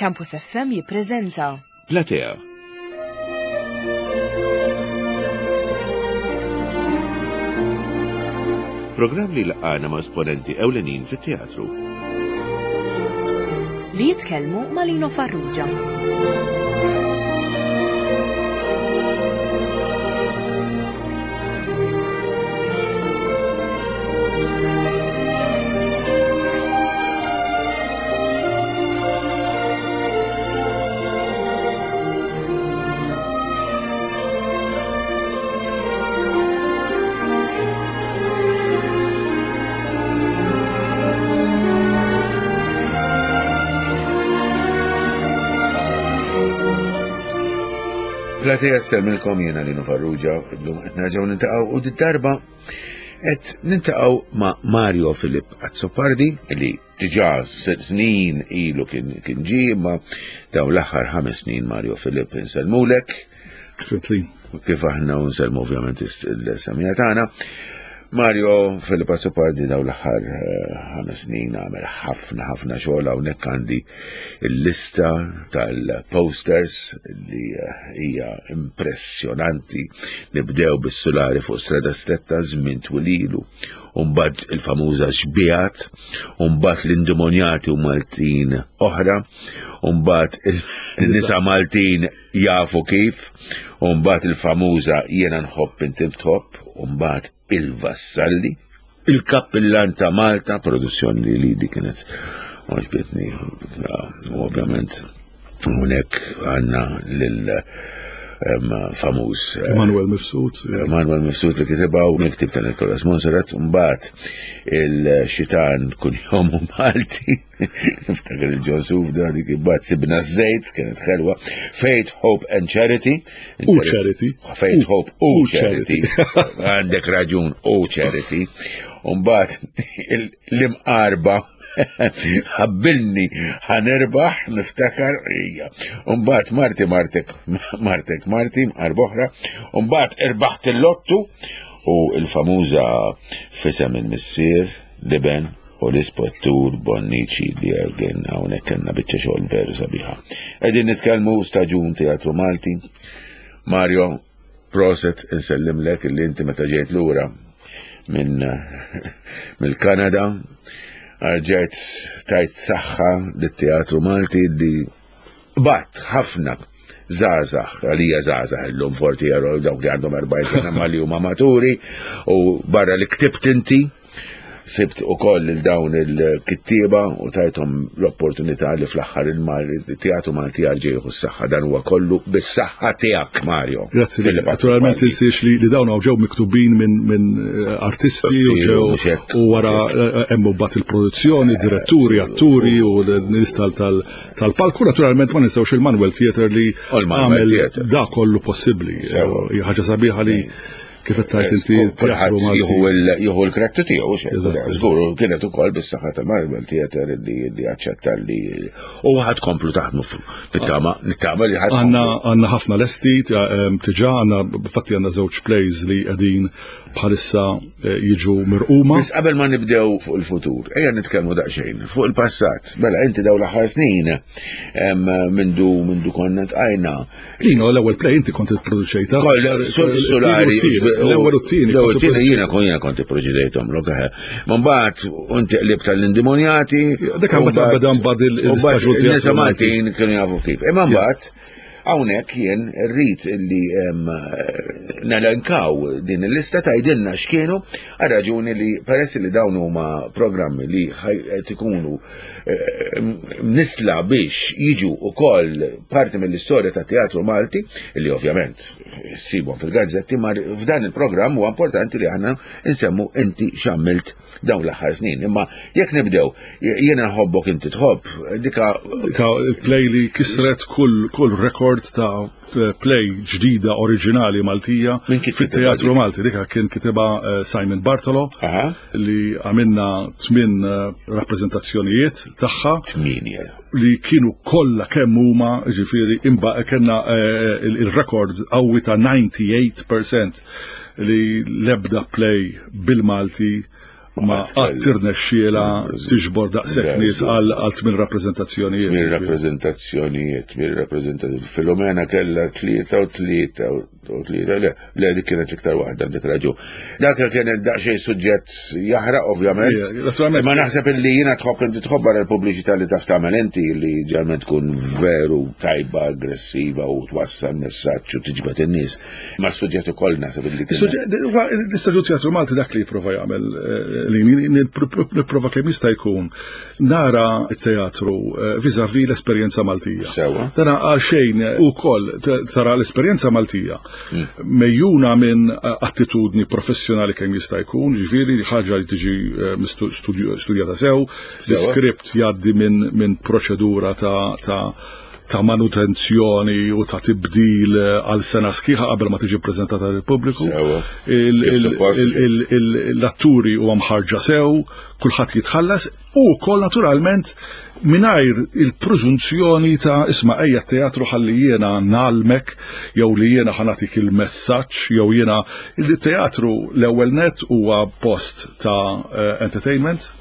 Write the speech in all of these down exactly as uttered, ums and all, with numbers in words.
Campus F M jippreżenta Platea. Programm li laqana ma' esponenti ewlenin fit-teatru. Li jitkellmu ma' Lino Farrugia. Platea ssellmilkom, jiena Lino Farrugia, illum qed nerġgħu niltaqgħu u d-darba qed niltaqgħu ma' Mario Philip Azzopardi, li diġà snin ilu kien kien ġie, ma dawn l-aħħar ħames snin. Mario Philip, insellmulek. Kif Kif aħna unsellmu ovvjament il-semija tagħna. Mario Philip Azzopardi dawn l-aħħar eh, ħames snin għamel ħafna ħafna xogħol. Hawnhekk għandi il-lista tal-posters li eh, hija impressjonanti. Nibdew bis-sulari fuq Strada Stretta żmien twil ilu, u mbagħad il-famuża Xbihat, u mbagħad l-Indemonjati u Maltin oħra, u mbagħad il-nisa Maltin jafu kif, u mbagħad il-famuża Jiena nħobb inti tħobb, u mbagħad il-Vassalli, il-Kappillan ta' Malta, produzzjoni li li di kienet għoġbitni, u ovvjament hawnhekk għandna lil em, famuż eh, Emanuel Mifsud. Manuel Mifsud li kitibha u miktib ta' Nicolas Monserrat, mbagħad il-Xitan kunjomu Malti, niftakar il-Ġosuf da dik, imbagħad Sibna Żejt, kienet ħelwa, Faith, Hope and Charity. U Charity. Faith, Hope u U Charity. Għandek raġun, u Charity. Mbagħad l-imqarba ħabbilni ħa nirbaħ, niftakar, ija. Umbagħad Marti Martek Martek Marti, mqarba oħra, umbagħad irbaħt il-lottu u il-famuża F'Isem il-Missier, l-Iben u l-Ispettur Bonnici, li għagħin hawnhekk kellna biċċa xogħol veru sabiħa. Qegħdin nitkellmu staġun Teatru Malti. Mario, proset, insellimlek illi inti meta ġejt lura minn mill-Kanada rġajt tajt saħħa lit-Teatru Malti li bat ħafna żgħażagħ, għalija żgħażagħ illum forti jaraw dawk li għandhom erbgħin sena, ma li huma maturi, u barra li ktibt inti, sibt ukoll il dawn il-kittieba u tajthom l-opportunità li fl-aħħar il-Teatru Malti jerġa' jieħu s-saħħa. Dan huwa kollu bis-saħħa tiegħek, Mario. Grazzi. Philip Naturalment Azzopardi. tinsiex li, li dawn ġew miktubin minn min eh, artisti u Sì, ġew mhux hekk, u wara eh, hemm mbagħad il-produzzjoni, diretturi, atturi u l-nies tal- tal- tal-palku. Naturalment ma ninsewx il-Manuel Theatre li U l-Manuel għamel Theatre. da kollu possibbli. Sewa. Eh, Hija ħaġa sabiħa li kif qed tgħid inti Kulħadd teatru Malti. jieħu il- jieħu l-kredtu tiegħu, xejn. Eżatt. Żgur, kienet ukoll bis-saħħa tal-Manuel Theatre li li aċċetta li u ħad komplu taħdmu fu- nittama nittama li ħad Għanna għanna ħafna lesti, ehm, diġà għanna, fatti għanna żewġ plays li qegħdin bħalissa eh, jiġu mirquma. Biss qabel ma nibdew fuq il-futur, ejja nitkellmu daqsxejn fuq il-passat. Mela inti dawn l-aħħar snin em, mindu mindu konna tqajna. Lino, l-ewwel play inti kont ipproduċejta. Koll sulari. L-ewwel u t-tieni. L-ewwel u t-tieni jiena kon jiena kont ipproduċejthom, lok eħe. Ma mbagħad inti qlib tal-Indemonjati. Dak għam meta beda mbagħad il- u mbagħad l-istaġun in-nisa teatru Malti. Maltin kienu jafu kif. Imma mbagħad hawnhekk jien rrid illi em, nelenkaw din il-lista, tgħidilna x'kienu, għal raġuni li peress li dawn huma programmi li ħaj- qed ikunu eh, nisla biex jiġu ukoll parti mill-istorja ta' Teatru Malti, li ovvjament ssibhom fil-gazzetti, ma f'dan il-programm huwa importanti li aħna nsemmu inti x'għamilt dawn l-aħħar snin. Imma jekk nibdew, Jiena nħobbok inti tħobb, dika Ka- il-play li kisret kull kull rekord ta' play ġdida oriġinali Maltija Min kien fit-Teatru kitibha dik? Malti. Dika kien kitibha eh, Simon Bartolo Aha. li għamilna tmin eh, rappreżentazzjonijiet tagħha Tminja. li kienu kollha kemm huma, ġifieri imba kellna eh, il- il-rekord qawwi ta' disgħa u disgħin fil-mija li l-ebda play bil-Malti Ma qatt irnexxiela tiġbor daqshekk nies għal għal tmien rappreżentazzjonijiet. Tmien rappreżentazzjonijiet, tmien rappreżentazzjonijiet. Filomena kella tlieta u tlieta u tlieta, le, le, dik kienet l-iktar waħda, dik raġun. Dak kienet daqsxejn suġġett jaħraq, ovvjament. Ija, naturalment. Ma naħseb illi jiena tħobb, inti tħobb barra l-pubbliċità li taf tagħmel inti, li ġalment tkun veru tajba, aggressiva u twassal messaġġ u tiġbed in-nies. Ma suġġett ukoll naħseb illi kien. L-Istaġun Teatru Malti dak li jipprova jagħmel, eh, li nipprova kemm jista' jkun nara t-teatru eh, vis-à-vis l-esperjenza Maltija. Sewa. Dana għal xejn ukoll tara l-esperjenza Maltija mejjuna minn eh, attitudni professjonali kemm jista' jkun, ġifieri ħaġa li tiġi eh, mistu- studju- studjata sew, l-iskript jgħaddi minn min proċedura ta' ta' ta' manutenzjoni u ta' tibdil eh, għal sena sħiħa qabel ma tiġi prezentata lill pubbliku. Sewa. Il- Kif il- suppost. il- il- il- L-atturi huwa mħarġa sew, kulħadd jitħallas u wkoll naturalment mingħajr il-preżunzjoni ta' isma', ejja teatru ħalli jiena ngħallmek jew li jiena ħa nagħtik il-messaġġ jew jiena. Il-teatru l-ewwel net huwa post ta' eh, entertainment.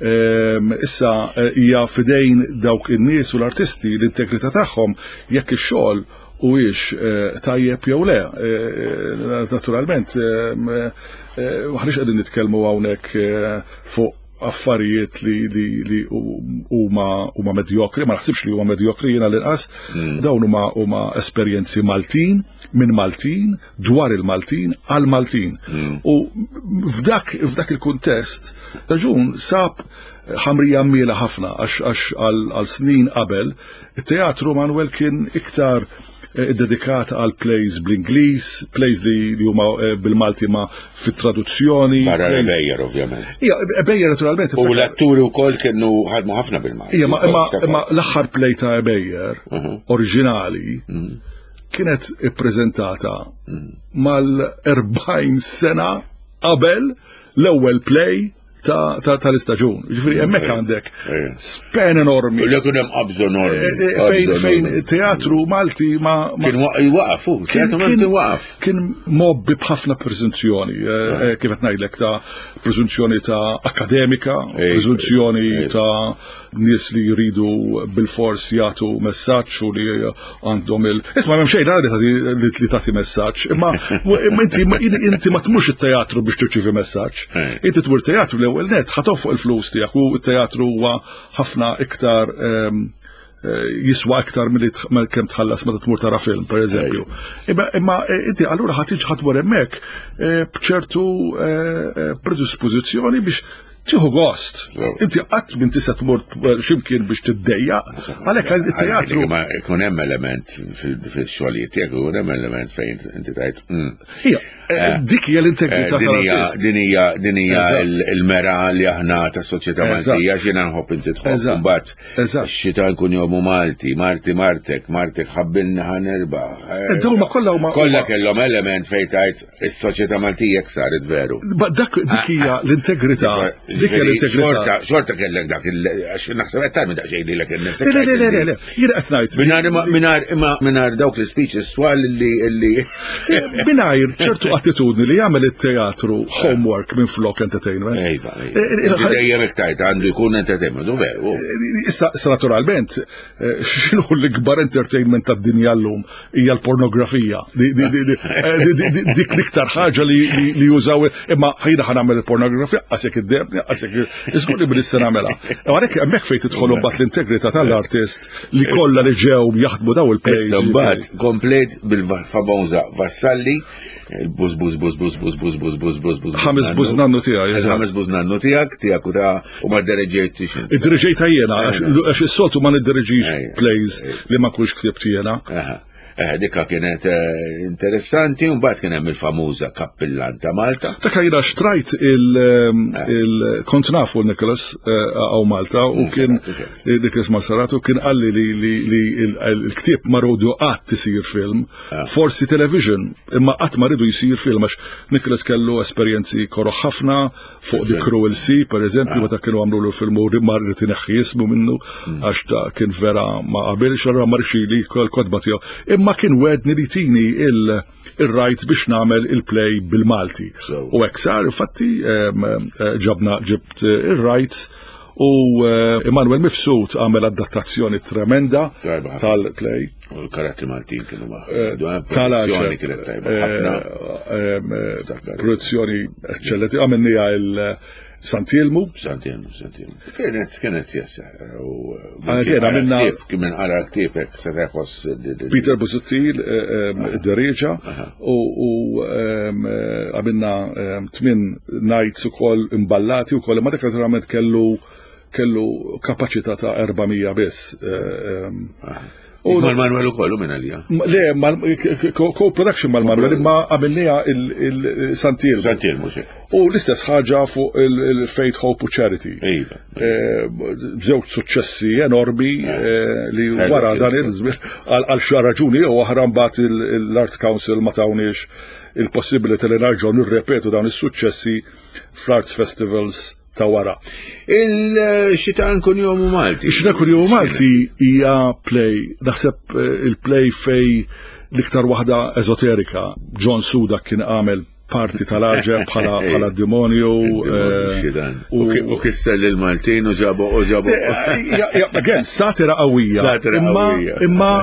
Ehm, Issa eh, hija fidejn dawk in-nies u l-artisti l-integrità tagħhom jekk ix-xogħol huwiex eh, tajjeb jew le. Eh, Naturalment, ehm, eh, maħniex qegħdin nitkellmu hawnhekk eh, fuq affarijiet li li li huma huma medjokri, ma naħsibx li huma medjokri jiena l-inqas, dawn huma huma esperjenzi Maltin, minn Maltin, dwar il-Maltin, għal Maltin. U f'dak f'dak il-kuntest, Staġun sab ħamrija miela ħafna għax għax għal għal snin qabel, it-teatru, Manuel, kien iktar eh, dedikat għal plays bl-Ingliż, plays li, li huma eh, bil-Malti ma fit-traduzzjoni. Barra plays- Ebejer, ovvjament. Ija, Ebejer naturalment. U l-atturi wkoll kienu ħadmu ħafna bil-Malti. Ija, ma, ma, ma l-aħħar play ta' Ebejer, oriġinali, kienet ippreżentata mal-erbgħin sena qabel l-ewwel play ta' ta' tal-istaġun. Ġifieri hemmhekk għandek Ejja. span enormi. U li kien hemm qabżu enormi. Eh, eh, Fejn qabżu fejn enormi. teatru Malti ma ma- Kien waqaf, hu, teatru Malti waqaf. Kien mgħobbi b'ħafna preżunzjoni, eh, eh, kif qed ngħidlek, ta' preżunzjoni ta' akademika, Ej, preżunzjoni ej. ta' nies li jridu bil-fors jagħtu messaġġ u li għandhom il. Isma', m'hemm xejn li tagħti li li tagħti messaġġ, imma imma inti inti ma tmurx it-teatru biex tirċievi messaġġ. Ej. Inti tmur teatru l-ewwel net ħa tonfoq il-flus tiegħek u t-teatru huwa ħafna iktar ehm, eh, jiswa aktar milli tħ- ma kemm tħallas meta tmur tara film, per eżempju. Imma imma eh, inti allura ħa tiġi, ħa tmur hemmhekk eh, b'ċertu eh, eh, predispożizzjoni biex tieħu gost. Sew. Inti qatt minn tista' tmur eh, x'imkien biex tiddejjaq, għalhekk it-teatru. Ma ikun hemm element fil-xogħlijiet tiegħek, ikun hemm element fejn inti tajt. mm, Ija, eh, dik hija l-integrità Din hija tal-artist. din hija din hija Eżatt. il- il-mera li aħna ta' soċjetà Eżatt. Maltija, x'jiena nħobb inti tħobb. Eżatt. Mbagħad Eżatt. xita nkun jomu Malti, Marti Martek, Martek ħabbilna ħa nirbaħ. Eh, dawn ma kollha huma- Kollha kellhom element fejn tajt is-soċjetà Maltija jekk saret veru. Ba dak dik hija l-integrità. Dik hija l-integrità. Xorta, xorta kellek dak il għax naħseb qed tagħmel daqsxejn lilek innifsek. Le, le, le, le, le, jiena qed ngħid. Mingħajr mingħajr imma mingħajr dawk l-speeches twal li li Mingħajr ċertu attitudni li jagħmel it-teatru homework minn flok entertainment. Ejva, Eh, eh, ejva. Dejjem iktajt għandu jkun entertainment, u veru. Issa, issa naturalment, eh, x'inhu l-ikbar entertainment tad-dinja llum hija l-pornografija. Di- di- di- di- eh, di- di- di- Dik l-iktar ħaġa li li- li jużaw, imma ħajna ħa nagħmel il-pornografija, għasek id-debni, għasek iżgur li bil-issa nagħmilha. Għalhekk hemmhekk fejn tidħol mbagħad l-integrità tal-artist li kollha li ġew jaħdmu daw il-plays. Issa mbagħad komplet bil-famoża Vassalli, il-bus bus bus bus bus bus bus bus bus bus. Ħames bużnannu tiegħi, eżatt. Ħames bużnannu tiegħek, tiegħek u ta' u ma ddereġejtix. Id-diriġejta jiena, għax għax is-soltu ma niddirġix Ejja, plays ejja. li ma nkunx ktibt jiena. Aha. Eh, dikka kienet eh, interessanti, u mbagħad kien hemm il-famuża Kappillan ta' Malta. Ta' jiena xtrajt il, il kont nafu Nicholas hawn Malta u kien Nicholas Monsarrat u kien qalli li, li, li il- il-ktieb ma rridu qatt isir film, forsi television, imma qatt ma rridu jisir film għax Nicholas kellu esperjenzi koroh ħafna fuq The Cruel Sea, per eżempju, meta kienu għamlu l film u ma rrid ineħħi ismu minnu għax ta' kien vera ma qabilx, allura ma rridx li l-kotba tiegħu. Imma kien wegħedni li tini il ir-rights biex nagħmel il-play bil-Malti. U hekk sar, infatti ġabna ġibt ir-rights u Emanuel Mifsud għamel adattazzjoni tremenda tal-play. U l-karattri Maltin kienu ma. Produzzjoni kienet tajba ħafna. Produzzjoni eccellenti, għamilniha il- Sant'Elmu. Sant'Elmu, Sant'Elmu. Kienet, kienet jessa. Kien għamilna. Kien minn qara ktieb hekk se teħoss. Peter Busuttil, id-dereġa, u għamilna tmien nights ukoll imballati ukoll, imma dak naturalment kellu kellu kapaċità ta' erba' mija biss. U mal-Manuel ukoll u minn għalija? Le, co-production mal-Manuel, imma għamilniha il-Sant'Elmu. Sant'Elmu, xek. U l-istess ħaġa fuq il-Faith, Hope u Charity. Iva. B'żewġ suċċessi enormi li wara dan il-żmien għal xi raġuni u oħra mbagħad l-Arts Council ma tawniex il-possibilità li nerġgħu nirrepetu dawn is-suċċessi fl-Arts Festivals ta' wara. Il-Xitan Kunjomu Malti. Ix-Xitan Kunjomu Malti hija play, naħseb il-play fej l-iktar waħda ezoterika. John Suda kien għamel parti tal-aġeb bħala demonju. U kisser lil-Maltin u ġabu u ġabu. Again, satira qawwija. Satira qawwija. Imma,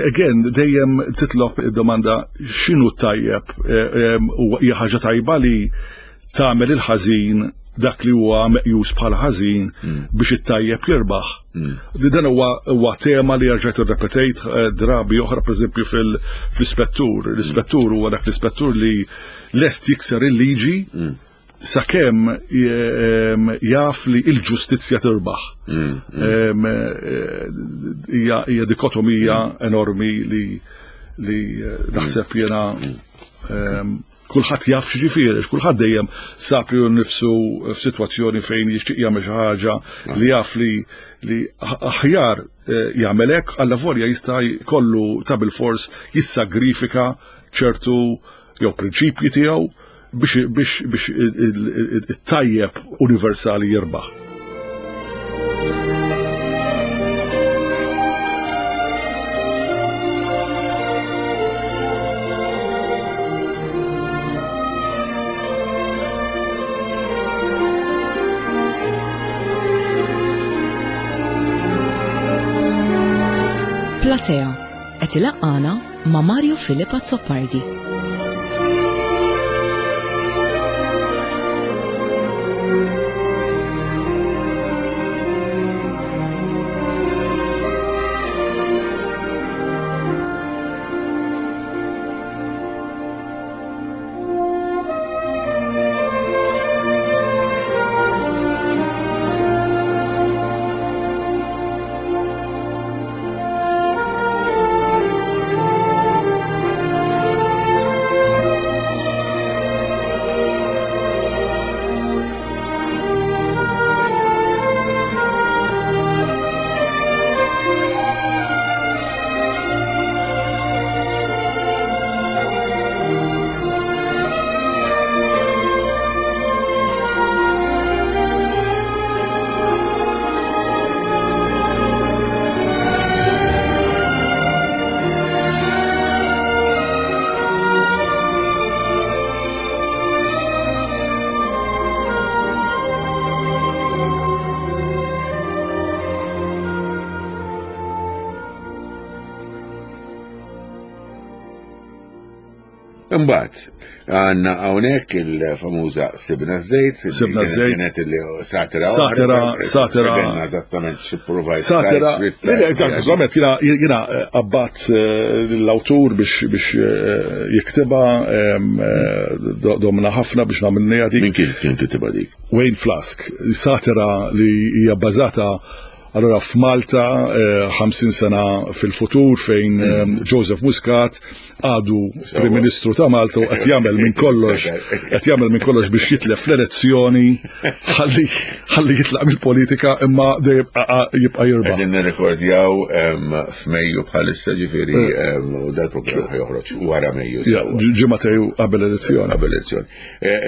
again, dejjem titlob id-domanda x'inhu tajjeb u hija ħaġa tajba li tagħmel il-ħażin dak li huwa meqjus bħala ħażin biex it-tajjeb jirbaħ. Dan huwa tema li rġajt irrepetejt drabi oħra, pereżempju fl-ispettur. L-ispettur huwa dak l-ispettur li lest jikser il-liġi sakemm jaf li l-ġustizzja tirbaħ. Hija dikotomija enormi li naħseb jiena kulħadd jaf x'ġifieri, kulħadd dejjem sab li nnifsu f'sitwazzjoni fejn jixtieq jagħmel xi ħaġa li jaf li li aħjar jagħmel hekk, alla volja jista' jkollu ta' bilfors jissagrifika ċertu jew prinċipji tiegħu biex biex biex it-tajjeb universali jirbaħ. Platea qed ilaqqana ma' Mario Philip Azzopardi. Imbagħad għandna hawnhekk il-famuża Sibna Żejt, Sibna Żejt kienet li satira satira satira eżattament xi provajt. Satira. Eżattament jiena jiena abbat l-awtur biex biex jiktibha, domna ħafna biex nagħmilniha dik. Min kien kien kitibha dik? Wayne Flask, satira li hija bbażata allora f'Malta ħamsin sena fil-futur fejn Joseph Muscat għadu Prim Ministru ta' Malta u qed jagħmel minn kollox qed jagħmel minn kollox biex jitlef l-elezzjoni ħalli ħalli jitlaq mill-politika imma dejjem jibqa' jirbaħ. Qegħdin nirrekordjaw f'Mejju bħalissa, ġifieri u dal-programm joħroġ wara Mejju. Ġimgħatej qabel elezzjoni. Qabel elezzjoni.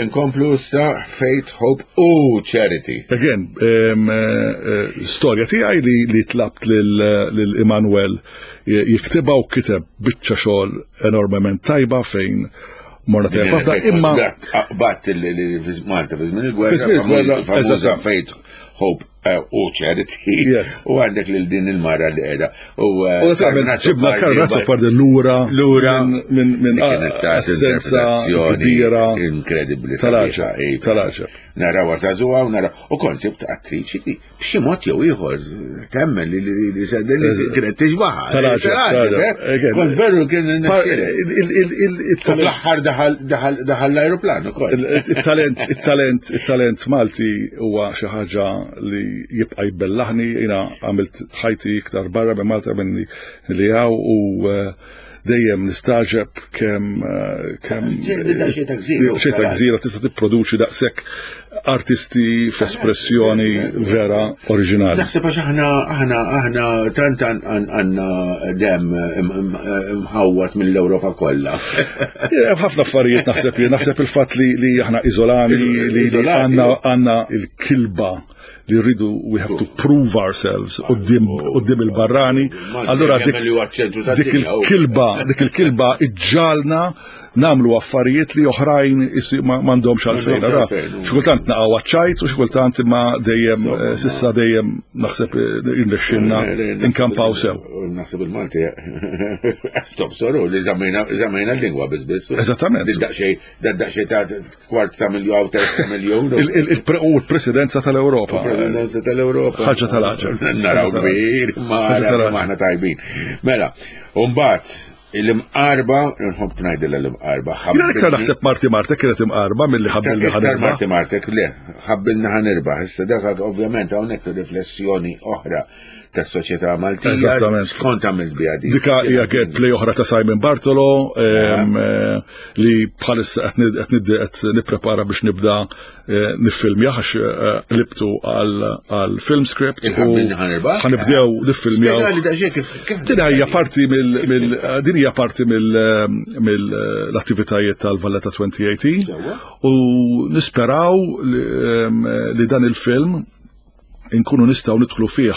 Inkomplu issa Faith, Hope u Charity. Again, storja tiegħi li li tlabt lil Emanuel jiktibha u kiteb biċċa xogħol enormement tajba fejn morna tajba ħafna, imma Bat li Malta fi żmien il-gwerra, Fi żmien il-gwerra, famuża eżatt. Faith, Hope eh, u Charity. Yes. U għandek lil din il-mara li qiegħda. U U naturalment ġibna Karmen Azzopardi lura Lura minn minn minn li kienet tat essenza interpretazzjoni kbira inkredibbli tal-għaġeb, sabiħa, iva. tal-għaġeb. Naraw żagħżugħa u naraw. U konsept attriċi li b'xi mod jew ieħor temmen li li li li kienet tixbaħa. Tal-għaġeb, Tal-għaġeb, eh? Again, Kont veru kien Pa- nixxielek. il- il- il- il- U il-talent fl-aħħar daħal daħal daħal l-ajruplan ukoll. Il-talent, il-talent, il-talent Malti huwa xi ħaġa li jibqa' jbellaħni, jiena għamilt ħajti iktar barra minn Malta minn li hawn u eh, dejjem nistagħġeb kemm eh, kemm Da xejn ta' gżira. xejn ta' gżira tista' tipproduċi daqshekk artisti f'espressjoni vera oriġinali. Naħseb għax aħna aħna aħna tant għandna dem imħawwat mill-Ewropa kollha. Hemm ħafna affarijiet naħseb li naħseb il-fatt li li aħna iżolani li li Iżolati. għandna għandna il-kilba li rridu we have to prove ourselves quddiem quddiem il-barrani. Allura dik li huwa ċ-ċentru dik tad-dinja. il-kilba dik il-kilba iġġalna nagħmlu affarijiet li oħrajn isi- ma m'għandhomx għalfejn. M'għandhomx Allura, għalfejn. Xi kultant naqgħu għaċ-ċajt u xi kultant imma dejjem eh, s'issa dejjem naħseb eh, irnexxilna inkampaw sew. Naħseb il-Malti stop soru li żammejna żammejna l-lingwa biss biss. Eżattament. Daqsxejn daqsxejn ta' kwart ta' miljon terz ta' miljon. Il- il- il- U l-presidenza tal-Ewropa. Presidenza tal-Ewropa. Ħaġa tal-għaġeb. Naraw kbir, ma Ħaġa tal-għaġeb. ma aħna tajbin. Mela, umbagħad l-imqarba, nħobb ngħidilha l-imqarba. Jiena iktar naħseb Marti Martek kienet imqarba milli ħabbilna Iktar ħa nirbaħ. Marti Martek, le, ħabbilna ħa nirbaħ. Issa dak ovvjament hawnhekk riflessjoni oħra tas-soċjetà Maltija. Eżattament. Skont għamilt biha din. Dika hija play oħra ta' Simon Bartolo em, eh, li bħalissa qed nid- qed nid- qed nipprepara biex nibda eh, niffilmja għax eh, libtu għal għal film script u Il-ħabbilna ħa nirbaħ? ħa nibdew niffilmjaw. Spjegali daqsxejn kif kif Din hija parti mill mill din hija parti mill mill-attivitajiet tal-Valletta elfejn u tmintax Sewwa. u nisperaw li, em, li dan il-film inkunu nistgħu nidħlu fih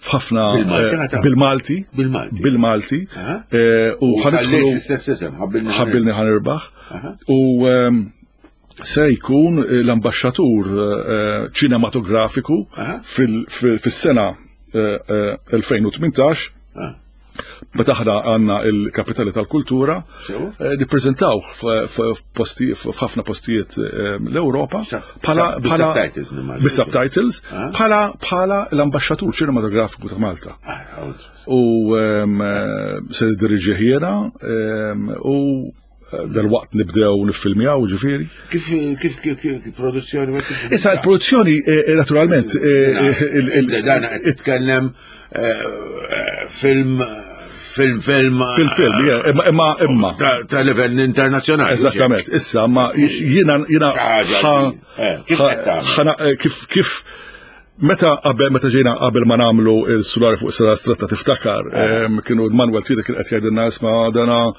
f'ħafna Bil-Malti eh, ħa tagħmel? bil-Malti Bil-Malti. bil-Malti Aha. eh, u U ħa nidħlu ħallejt l-istess isem, ħabbilna ħabbilni ħa nirbaħ Aha. u em, se jkun l-ambaxxatur eh, ċinematografiku Aha. fil- fil- fis-sena eh, eh, elfejn u tmintax Ah. meta aħna għandna il-kapitali tal-kultura Sew. eh, nippreżentaw f'ħafna postijiet eh, l-Ewropa Sa- bħala sa- bħala bis-subtitles, nimmaġina. bis-subtitles Ah. bħala bħala l-ambaxxatur ċinematografiku ta' Malta. Ah, għawd. U em, eh, se nidiriġih jiena em, u eh, dal-waqt nibdew niffilmjaw ġifieri. Kif kif kif kif produzzjoni ma kif- Issa l-produzzjoni eh, eh, naturalment eh, eh, il- il- Dan qed titkellem eh, eh, film film film fil-film, yeah, imma imma imma. ta' ta' livell internazzjonali. Eżattament, issa ma jiena jiena Xi ħaġa ħa- li- eh, kif ħa- qed tagħmel? ħana- eh, kif kif meta qabel meta ġejna qabel ma nagħmlu il-sulari fuq Strada Stretta tiftakar, Eh. em, kienu Manuel Tida kien qed jgħidilna isma' dana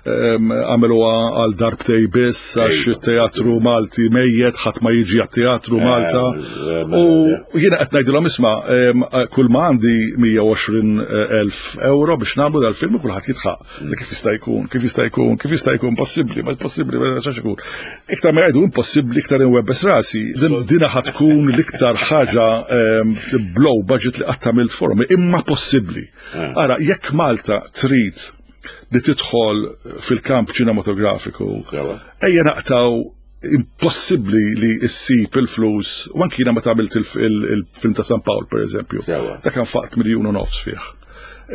em, għamluha għal darbtej biss għax Ejwa. it-teatru Malti mejjet ħadd ma jiġi għat-teatru Malta. eh, U jiena qed ngħidilhom isma' em, kull ma għandi mija u għoxrin elf euro biex nagħmlu dal-film u kulħadd jidħaq. Li kif jista' jkun, kif jista' jkun, kif jista' jkun possibbli, ma possibbli, ma xax ikun. Iktar ma jgħidu impossibbli iktar inwebbes rasi. Din dina ħa tkun l-iktar ħaġa em, blow budget li qatt għamilt forum, imma possibbli. Ara, jekk Malta trid li tidħol fil-kamp ċinematografiku, Sewa. ejja naqtaw impossibbli li issib il-flus, u anki jiena meta għamilt il- il- il-film ta' San Pawl, per eżempju, Sewa. dak nfaqt miljun u nofs fih.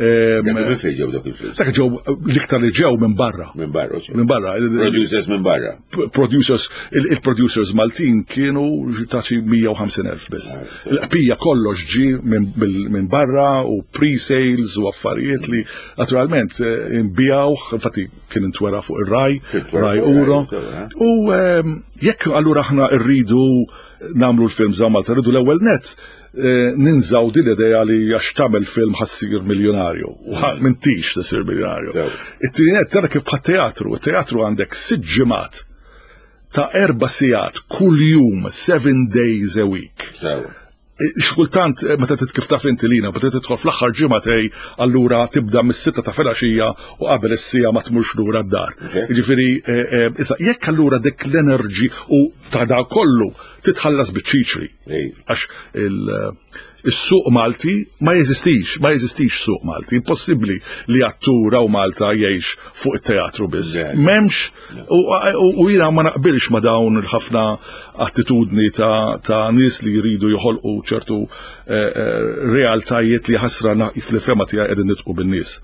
Em, Dak minn fejn ġew dak il-flus? Dak ġew l-iktar li ġew minn barra. Minn barra. Minn barra. Il- Producers minn barra. Producers, il- il-producers Maltin kienu ta' xi mija u ħamsin elf biss. Il-qpija kollox ġi minn bil- minn barra u pre-sales u affarijiet li naturalment eh, inbijaw, infatti kien intwera fuq ir-Rai, Kien intwera Rai fuq ir-Rai, Uro. sewa, eh? U ehm, jekk allura aħna rridu nagħmlu l-film za Malta, rridu l-ewwel net eh, ninżaw din l-idea li għax tagħmel film ħa ssir miljonarju. U ħa- m'intix tisir miljonarju. Sew. It-tieni net tara kif bħat teatru, it-teatru għandek sitt ġimgħat ta' erba' sigħat kull jum, seven days a week. Sewa. Xkultant, meta kif taf inti lina, meta tidħol fl-aħħar ġimgħatej, allura tibda mis-sitta ta' filgħaxija u qabel is-siegħa ma tmurx lura d-dar. Jiġifieri, issa jekk allura dik l-energy u ta' da kollu titħallas biċ-ċiċri. Għax il-suq Malti ma jeżistix, ma jeżistix suq Malti. Impossibbli li attur u Malta jgħix fuq it-teatru biss. M'hemmx, u jiena ma naqbilx ma dawn il-ħafna attitudni ta', ta' nies li jridu joħolqu ċertu realtajiet li ħasra fil-fehma tiegħi qegħdin nidħku bin-nies.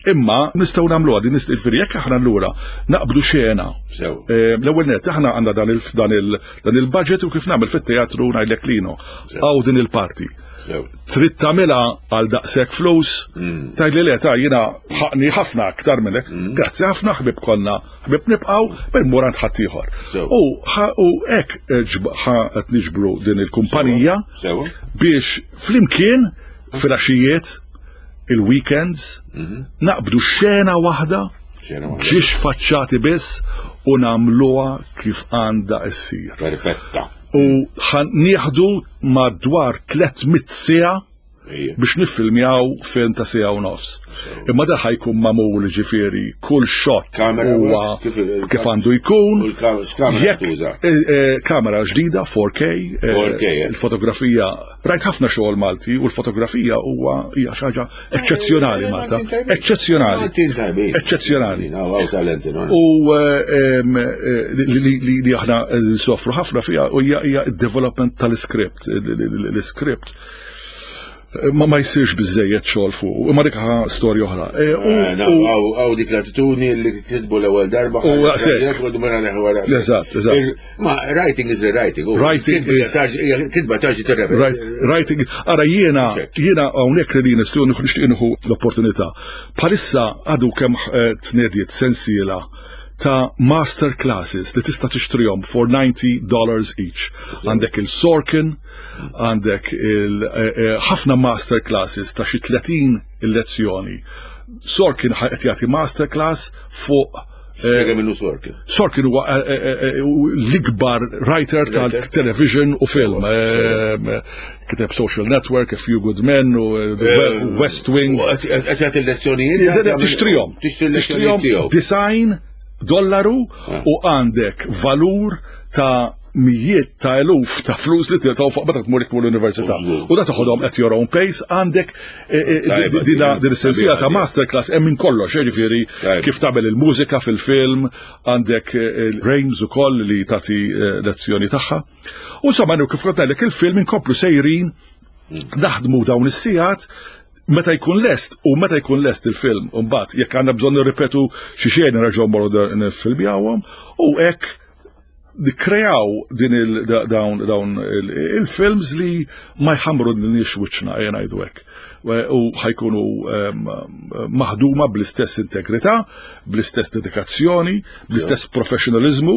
Imma nistgħu nagħmluha din, nistgħu jekk aħna allura naqbdu xena. L-ewwel net aħna għandna dan il-budget u kif nagħmel fit-teatru ngħidlek lino. Għaw din il-parti. Trid tagħmilha għal daqshekk flus, tgħidli le, ta' jiena ħaqni ħafna aktar minnek. Grazzi ħafna, ħbib konna, ħbib nibqgħu, bil-mur għand ħaddieħor. U hekk qed niġbru din il-kumpanija biex flimkien filgħaxijiet, il-weekends, naqbdu xena waħda, ġiex faċċati biss u nagħmluha kif għandha issir. Perfetta. U nieħdu madwar tliet mitt siegħa biex niffilmjaw film ta' siegħa u nofs. Imma da ħa jkun magħmul, ġifieri kull shot huwa kif għandu jkun. Kamera ġdida four K, il-fotografija, rajt ħafna xogħol Malti u l-fotografija huwa hija xi ħaġa eċċezzjonali Malta. Eċċezzjonali. Eċċezzjonali. U li aħna nsofru ħafna fiha u hija d-development tal-script. L-script ma ma jsirx biżejjed xogħol fuq, imma dik storja oħra. Għaw dik l-attitudni li kitbu l-ewwel darba. Eżatt, eżatt. Ma writing is writing. Writing is kitba tarġi tirrepeti. Writing, ara jiena jiena hawnhekk li nistgħu nixtieq nieħu l-opportunità. Bħalissa għadu kemm tnediet sensiela ta' master classes li tista' tixtrihom for ninety dollars each. Għandek il-Sorkin, għandek il-ħafna master classes ta' xi tletin il-lezzjoni. Sorkin qed jagħti master class fuq Spiega minnu Sorkin. Sorkin huwa l-ikbar writer tal-television u film. Kiteb Social Network, A Few Good Men, u West Wing. Qed jagħti lezzjonijiet. Tixtrihom. Tixtri l-lezzjonijiet tiegħu. Disgħin dollaru u għandek valur ta' mijiet ta' eluf ta' flus li tiltaw fuq meta tmur tmur l-università. U da toħodhom at your own pace, għandek dina din is-sensiela ta' masterclass hemm minn kollox, ġifieri kif tagħmel il-mużika fil-film, għandek Rames ukoll li tagħti lezzjoni tagħha. U insomma, kif kont ngħidlek, il-film inkomplu sejrin naħdmu dawn is-sigħat meta jkun lest u meta jkun lest il-film, mbagħad jekk għandna bżonn nirripetu xi xejn nerġgħu mmorru nifilmjawhom u hekk nikreaw din il dawn dawn il-films li ma jħamru nix wiċċna, jena ngħidu hekk. U ħa jkunu maħduma bl-istess integrità, bl-istess dedikazzjoni, bl-istess professionalizmu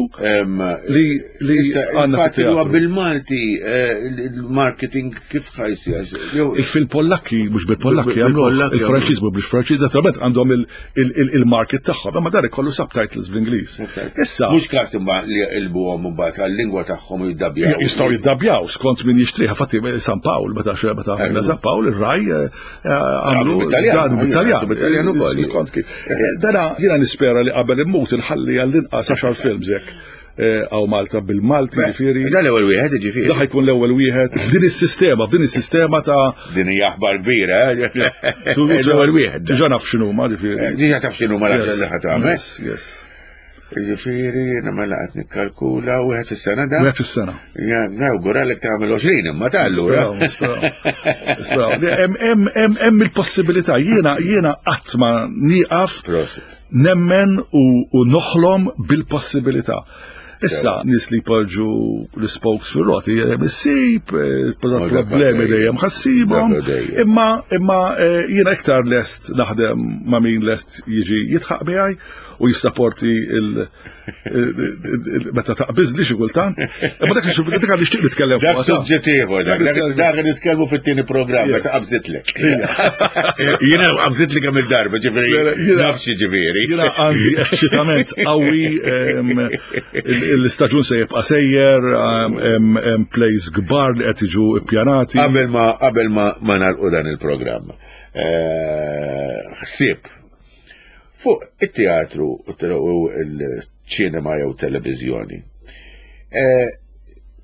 li li għandna. Huwa bil-Malti, il-marketing kif ħa jsir? Il-Pollakki mhux bil-Pollakki għamlu, il-Franċiż mhux bil-Franċiż, naturalment għandhom il-market tagħhom, imma dar ikollu subtitles bl-Ingliż. Issa mhux każ imma li jqilbuhom mbagħad għal-lingwa tagħhom u jiddabbjaw. Jistgħu jiddabbjaw skont min jixtriha. Fatti San Pawl, meta meta San Pawl ir-Rai għamlu dan bit-Taljan. Bit-Taljan ukoll. Skont kif. Dana jiena nispera li qabel immut inħalli għall-inqas għaxar films hekk għaw Malta bil-Malti, ġifieri. Dan l-ewwel wieħed, ġifieri. Da ħa jkun l-ewwel wieħed f'din is-sistema, f'din is-sistema ta' Din hija aħbar kbira, l-ewwel wieħed. Diġà naf x'inhuma, ġifieri. Diġà taf x'inhuma l-aħħar li ħa tagħmel. Yes, yes. Ġifieri, jiena mela qed nikkalkula wieħed fis-sena da. Wieħed fis-sena. Ja, nawguralek tagħmel għoxrin imma ta' allura. Nisperaw, Hemm il-possibilità, jiena jiena qatt ma nieqaf nemmen u noħlom bil-possibilità. Issa, nies li jpoġġu l-spokes fil-roti, issib, problemi dejjem ħa ssibhom, imma imma jiena iktar lest naħdem ma' min lest jiġi jidħaq miegħi. u jissaporti il- meta taqbiżli xi kultant. Imma dak dak nixtieq nitkellem fuq. Dak suġġett ieħor, dak nitkellmu fit-tieni programm meta qabżitlek. Jiena qabżitli kemm il-darba, ġifieri nafx ġifieri. Jiena għandi eċċitament qawwi, l-istaġun se jibqa' sejjer, hemm plays kbar li qed jiġu ippjanati. Qabel ma qabel ma ma nagħlqu dan il-programm. Ħsieb fuq it-teatru u l-ċinema jew televiżjoni.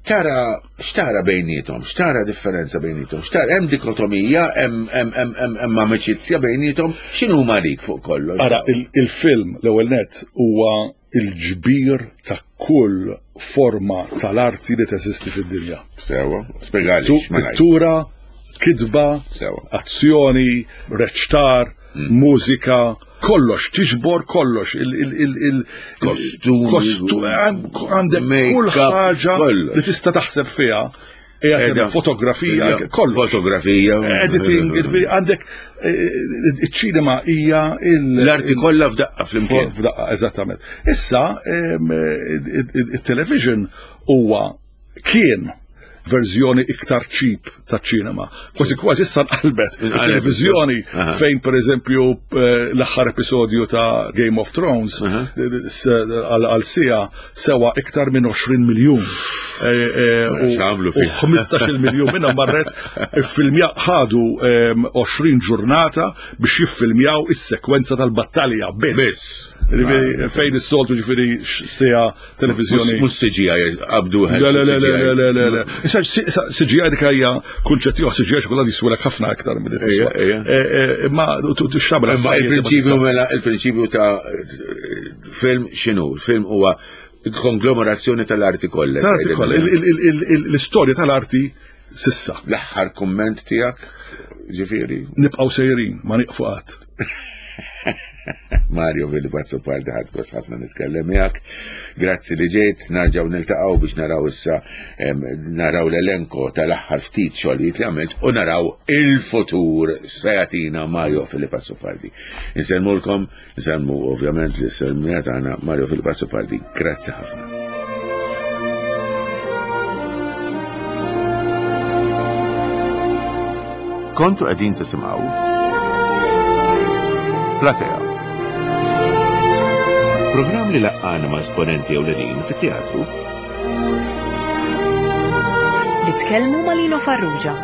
Tara, x'tara bejnietom, x'tara differenza bejnietom, x'tara hemm dikotomija, hemm amiċizzja bejnietom, x'inhu lik fuq kollox? Ara, il-film l-ewwel nett huwa il-ġbir ta' kull forma tal-arti li teżisti fid-dinja. Sewa, spjegali. Pittura, kitba, azzjoni, reċtar, mużika, kollox, tiġbor kollox, il-kostumi, għandek kull ħaġa li tista' taħseb fiha, fotografija, kollox. Fotografija. Editing, għandek iċ-ċinema hija l-arti kollha f'daqqa flimkien. F'daqqa, eżattament. Issa, il-television huwa kien verżjoni iktar cheap ta' ċinema. Kważi kważi issa nqalbet il-televizjoni fejn per eżempju l-aħħar episodju ta' Game of Thrones għal sija sewa iktar minn għoxrin miljun. U ħmistax-il miljun minnhom marret iffilmja ħadu għoxrin ġurnata biex jiffilmjaw is-sekwenza tal-battalja biss. Fejn is-soltu ġifieri sija televizjoni. Mhux C G I qabdu. Le le le le le le. Issa C G I dik hija kunċett ieħor, C G I xi kultant jiswilek ħafna aktar milli tiswa. Imma tixtabel. Imma il-prinċipju mela il-prinċipju ta' film x'inhu? Film huwa konglomerazzjoni tal-arti kollha. Tal-arti kollha, l-istorja tal-arti sissa. L-aħħar kumment tiegħek ġifieri. Nibqgħu sejrin, ma nieqfu qatt. Mario Philip Azzopardi, ħadd gost ħafna nitkellem miegħek. Grazzi li ġejt, narġgħu niltaqgħu biex naraw issa naraw l-elenko tal-aħħar ftit xogħlijiet li għamilt u naraw il-futur se jagħtina Mario Philip Azzopardi. Insellmulkom, insellmu ovvjament li sellmija tagħna Mario Philip Azzopardi. Grazzi ħafna. Kontu qegħdin tisimgħu Platea. Programm li laqqana ma' esponenti ewlenin fit-teatru. Li tkellmu ma' Lino Farrugia.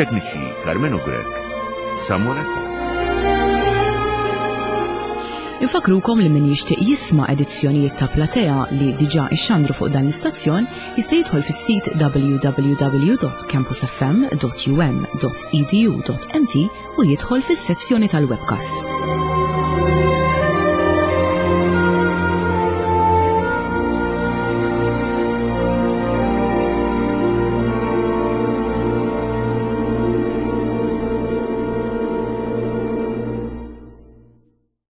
Tekniċi Carmenu Grech, Samuel Attard. Infakrukom li min jixtieq jisma' edizzjonijiet ta' Platea li diġà ixxandru fuq dan l-istazzjon jista' jidħol fis-sit w w w dot campus f m dot u m dot e d u dot m t u jidħol fis-sezzjoni tal-webcasts.